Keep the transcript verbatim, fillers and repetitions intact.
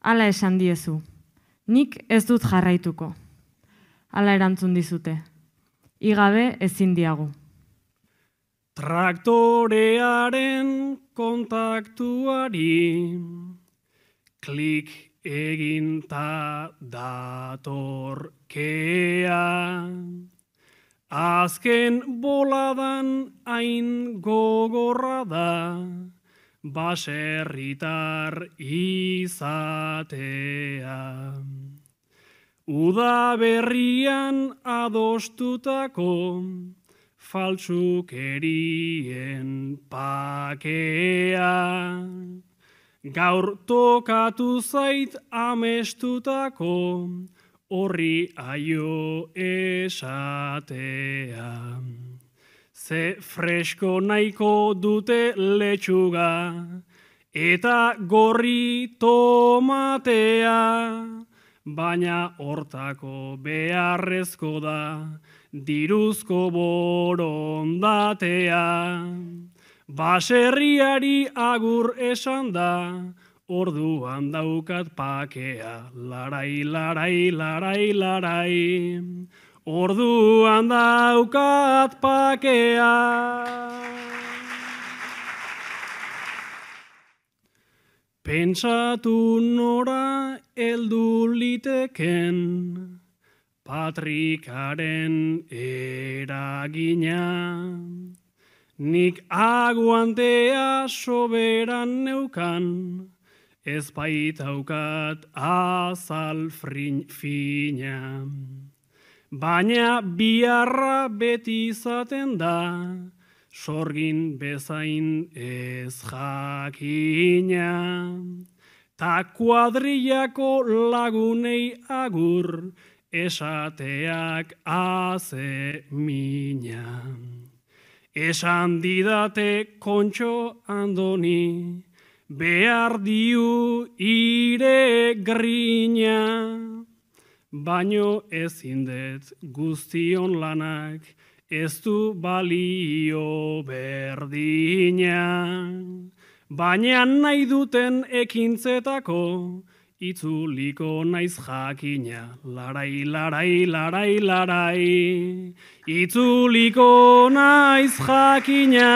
Hala esan diezu, nik ez dut jarraituko. Hala erantzun dizute, igabe ezin diagu. Traktorearen kontaktuari klik egin ta datorkea. Azken boladan hain gogorra da, baserritar izatea. Uda berrian adostutako faltsukerien pakea. Gaur tokatu zait amestutako horri aio esatea. Ze fresko nahiko dute letxuga eta gorri tomatea, baina hortako beharrezko da diruzko borondatea. Baserriari agur esan da, orduan daukat pakea, larai, larai, larai, larai. Orduan daukat pakea. Pentsatu nora heldu liteken, patrikaren eragina. Nik aguantea soberan neukan, ez baitaukat azal fina. Baina biharra beti izaten da, sorgin bezain ez jakina. Ta kuadrillako lagunei agur, esateak haze mina. Esan didate Kontxo Andoni, behar diu ire grina. Baino ezin dut guztion lanak, ez du balio berdina. Baina nahi duten ekintzetako, itzuliko naiz jakina, larai, larai, larai, larai, itzuliko naiz jakina.